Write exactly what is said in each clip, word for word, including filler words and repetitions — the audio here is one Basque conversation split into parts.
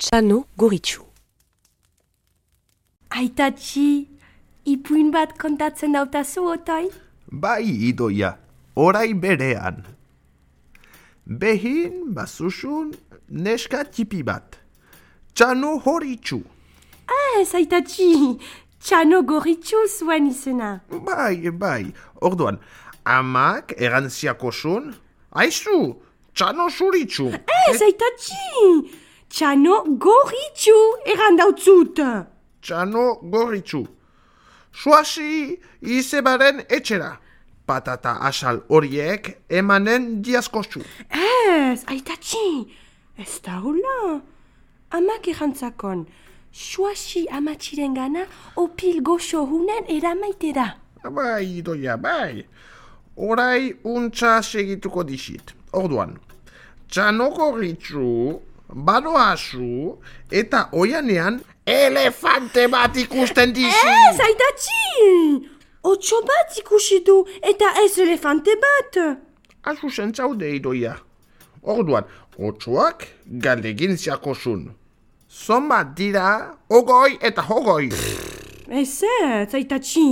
Txano Goritxu. Aitatxi, ipuin bat kontatzen dautazu, otoi? Bai, Idoia, orai berean. Behin bazuzun neska tipi bat. Txano Goritxu. Ez, aitatxi, Txano Goritxu zuen izena. Bai, bai, orduan, amak erantziako zun, aizu, Txano Zuritxu. Ez, aitatxi, Txano Goritxu erandautzut. Txano Goritxu. Suasi izebaren etxera. Patata asal horiek emanen diazkozu. Ez, aitatxi, ez da hula. Amak erantzakon, suasi amatxiren gana opil goxo hunen eramaitera. Bai, Idoia, bai. Orai untza segituko dixit. Orduan, Txano Goritxu, badoazu, eta oianean elefante bat ikusten dixi. Ez, aitatxi! Otso bat ikusi du eta ez elefante bat. Azu zentzaude, Idoia. Orduan, otsoak galdegin ziakozun. Zonbat dira, ogoi eta hogoi. Ez ez, aitatxi.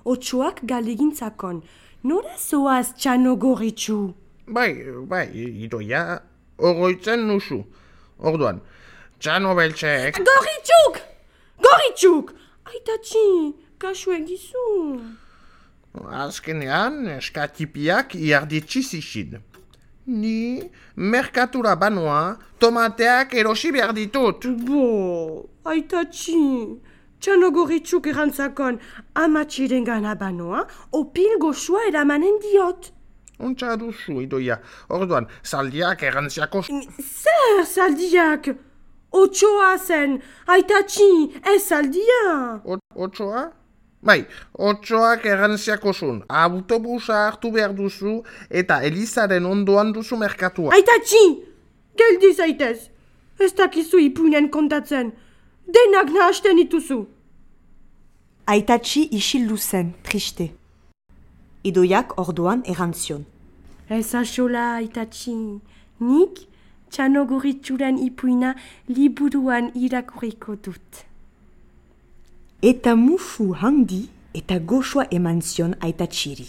Otsoak galegintzakon. Nora zoaz Txano Goritxu? Bai, bai, Idoia, ogoitzen nuzu. Orduan, Txano beltzek... Goritxuk! Goritxuk! Aitatxi, kasu egizu. Azkenean, eskatipiak iarditsi zixin. Ni merkatura banoa tomateak erosi behar ditut. Bo, aitatxi, Txano Goritxuk erantzakon amatxiren gana banoa, opil goxua eramanen diot. Untza duzu, Idoia. Orduan, zaldiak erantziako... Zer zaldiak? Otsoa zen, aitatxi, ez zaldia. Otsoa? Bai, otsoak erantziako zun. Autobusa hartu behar duzu eta Elizaren ondoan duzu merkatua. Aitatxi, geldi zaitez. Ez dakizu ipuinen kontatzen. Denak nahasten dituzu. Aitatxi isildu zen, triste. Idoiak orduan erantzion. Ez asola, aitatxi. Nik Txano Goritxuren ipuina liburuan irakurriko dut. Eta musu handi eta goxoa eman zion aitatxiri.